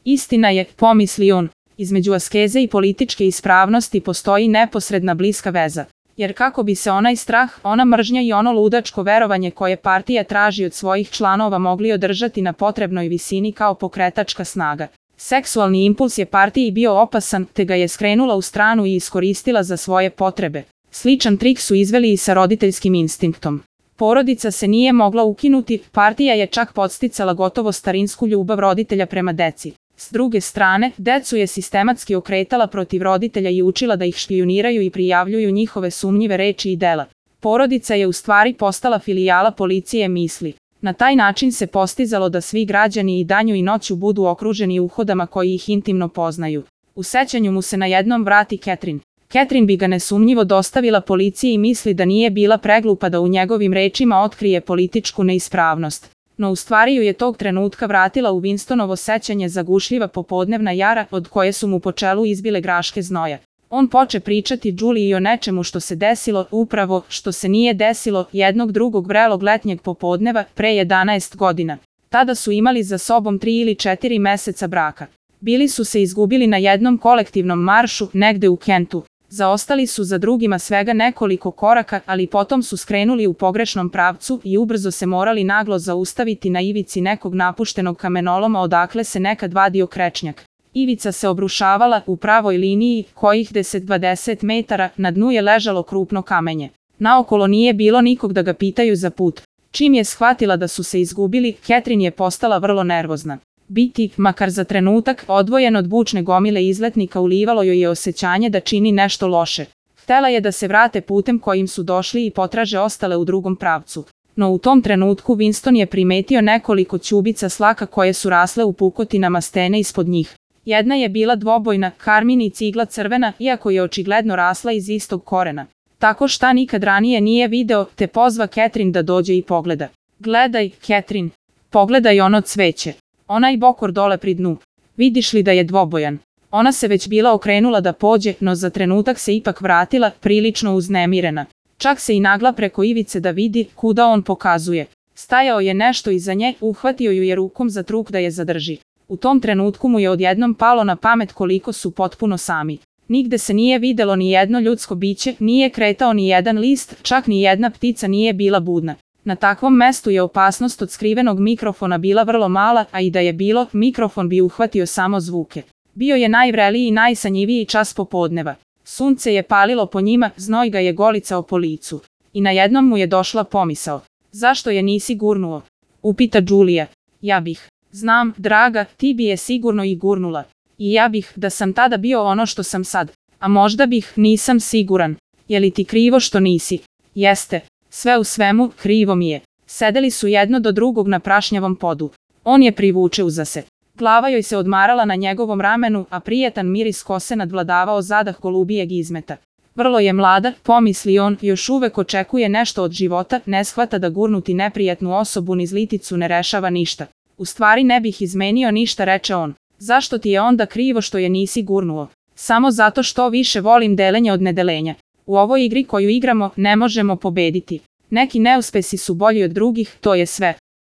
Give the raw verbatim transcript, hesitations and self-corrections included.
Istina je, pomisli on, između askeze i političke ispravnosti postoji neposredna bliska veza. Jer kako bi se onaj strah, ona mržnja i ono ludačko verovanje koje partija traži od svojih članova mogli održati na potrebnoj visini kao pokretačka snaga. Seksualni impuls je partiji bio opasan, te ga je skrenula u stranu i iskoristila za svoje potrebe. Sličan trik su izveli i sa roditeljskim instinktom. Porodica se nije mogla ukinuti, partija je čak podsticala gotovo starinsku ljubav roditelja prema deci. S druge strane, decu je sistematski okretala protiv roditelja i učila da ih špijuniraju i prijavljuju njihove sumnjive reči i dela. Porodica je u stvari postala filijala policije misli. Na taj način se postizalo da svi građani i danju i noću budu okruženi uhodama koji ih intimno poznaju. U sećanju mu se na jednom vrati Catherine. Catherine bi ga nesumnjivo dostavila policiji i misli da nije bila preglupa da u njegovim rečima otkrije političku neispravnost. No u stvari ju je tog trenutka vratila u Winstonovo sećanje zagušljiva popodnevna jara od koje su mu po čelu izbile graške znoja. On poče pričati Juliji o nečemu što se desilo, upravo što se nije desilo, jednog drugog vrelog letnjeg popodneva pre jedanaest godina. Tada su imali za sobom tri ili četiri meseca braka. Bili su se izgubili na jednom kolektivnom maršu negde u Kentu. Zaostali su za drugima svega nekoliko koraka, ali potom su skrenuli u pogrešnom pravcu i ubrzo se morali naglo zaustaviti na ivici nekog napuštenog kamenoloma odakle se nekad vadio krečnjak. Ivica se obrušavala u pravoj liniji, kojih deset do dvadeset metara, na dnu je ležalo krupno kamenje. Naokolo nije bilo nikog da ga pitaju za put. Čim je shvatila da su se izgubili, Catherine je postala vrlo nervozna. Biti, makar za trenutak, odvojen od bučne gomile izletnika ulivalo joj je osjećanje da čini nešto loše. Htela je da se vrate putem kojim su došli i potraže ostale u drugom pravcu. No u tom trenutku Winston je primetio nekoliko ćubica slaka koje su rasle u pukotinama stene ispod njih. Jedna je bila dvobojna, karmin i cigla crvena, iako je očigledno rasla iz istog korena. Tako šta nikad ranije nije video, te pozva Catherine da dođe i pogleda. Gledaj, Catherine, pogledaj ono cveće. Onaj bokor dole pri dnu. Vidiš li da je dvobojan? Ona se već bila okrenula da pođe, no za trenutak se ipak vratila, prilično uznemirena. Čak se i nagla preko ivice da vidi kuda on pokazuje. Stajao je nešto iza nje, uhvatio ju je rukom za truk da je zadrži. U tom trenutku mu je odjednom palo na pamet koliko su potpuno sami. Nigde se nije videlo ni jedno ljudsko biće, nije kretao ni jedan list, čak ni jedna ptica nije bila budna. Na takvom mestu je opasnost od skrivenog mikrofona bila vrlo mala, a i da je bilo, mikrofon bi uhvatio samo zvuke. Bio je najvreliji i najsanjiviji čas popodneva. Sunce je palilo po njima, znoj ga je golicao po licu. I najednom mu je došla pomisao. Zašto je nisi gurnuo? Upita Julija. Ja bih. Znam, draga, ti bi je sigurno i gurnula. I ja bih, da sam tada bio ono što sam sad. A možda bih, nisam siguran. Je li ti krivo što nisi? Jeste. Sve u svemu, krivo mi je. Sedeli su jedno do drugog na prašnjavom podu. On je privuče uza se. Glava joj se odmarala na njegovom ramenu, a prijetan miris kose nadvladavao zadah golubijeg izmeta. Vrlo je mlada, pomisli on, još uvek očekuje nešto od života, ne shvata da gurnuti neprijatnu osobu niz liticu ne rešava ništa. U stvari ne bih izmenio ništa, reče on. Zašto ti je onda krivo što je nisi gurnuo? Samo zato što više volim delenje od nedelenja. U ovoj igri koju igramo ne možemo pobediti. Neki neuspesi su bolji od drugih, to je sve.